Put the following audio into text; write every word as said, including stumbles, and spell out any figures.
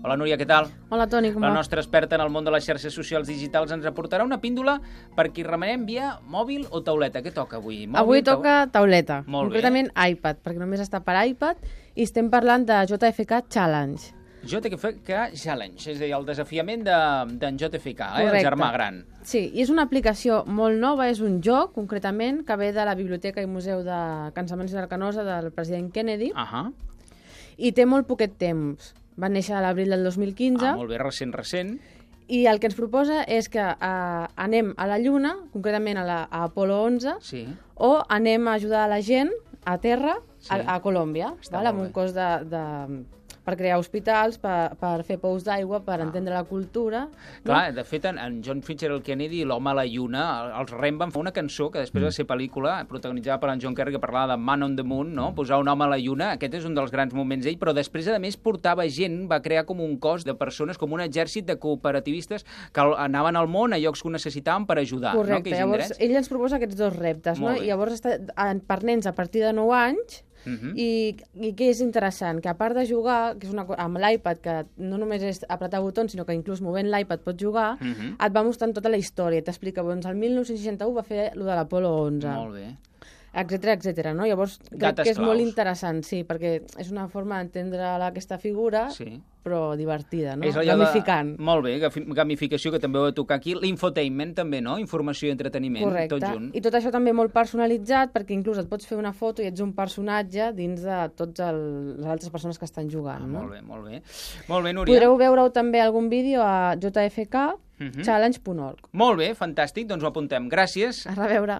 Hola, Núria, què tal? Hola, Toni, com La va? nostra experta en el món de les xarxes socials digitals ens aportarà una píndola per qui remenem via mòbil o tauleta. Què toca avui? Mòbil, Avui toca tauleta, Molt bé. concretament iPad, perquè només està per iPad, i estem parlant de J F K Challenge. J F K Challenge, és a dir, el desafiament d'en de, J F K, eh? El Correcte. germà gran. Sí, i és una aplicació molt nova, és un joc, concretament, que ve de la Biblioteca i Museu de Cansaments i Arcanosa del president Kennedy, Ahà. i té molt poquet temps. Va néixer a l'abril del dos mil quinze, Ah, molt bé, recent, recent. i el que ens proposa és que eh, anem a la Lluna, concretament a, la, a Apolo onze, Sí. o anem a ajudar a la gent a terra, Sí. a, a Colòmbia, Està val? molt amb bé. un cos de, de, per crear hospitals, per, per fer pous d'aigua, per Ah. entendre la cultura. Clar, de fet, en, en John Fitzgerald Kennedy, l'home a la lluna, els Rem van fer una cançó que després va ser pel·lícula, protagonitzada per en John Kerry, que parlava de Man on the Moon, no? Posar un home a la lluna, aquest és un dels grans moments d'ell, però després, a més, portava gent, va crear com un cos de persones, com un exèrcit de cooperativistes que anaven al món a llocs que ho necessitaven per ajudar. Correcte, no? llavors ell ens proposa aquests dos reptes, no? Molt bé. I llavors està en- per nens a partir de nou anys, Uh -huh. i, i què és interessant? Que a part de jugar, que és una, co- amb l'iPad, que no només és apretar botons, sinó que inclús movent l'iPad pots jugar, Uh -huh. et va mostrant tota la història. T'explica, doncs, el mil nou-cents seixanta-u va fer lo de l'Apolo onze. Molt bé. etcètera, etcètera, no? Llavors, crec Gates que és molt claus. interessant, sí, perquè és una forma d'entendre aquesta figura, Sí. però divertida, no? És allò Gamificant. De... Molt bé, gafi- gamificació, que també ho he de tocar aquí. L'infotainment també, no? Informació i entreteniment, Correcte. tot junt. I tot això també molt personalitzat, perquè inclús et pots fer una foto i ets un personatge dins de totes el... les altres persones que estan jugant, Ah, no? molt bé, molt bé. Molt bé, Núria. Podreu veure també algun vídeo a j f k challenge punt org. Molt bé, fantàstic, doncs ho apuntem. Gràcies. A reveure.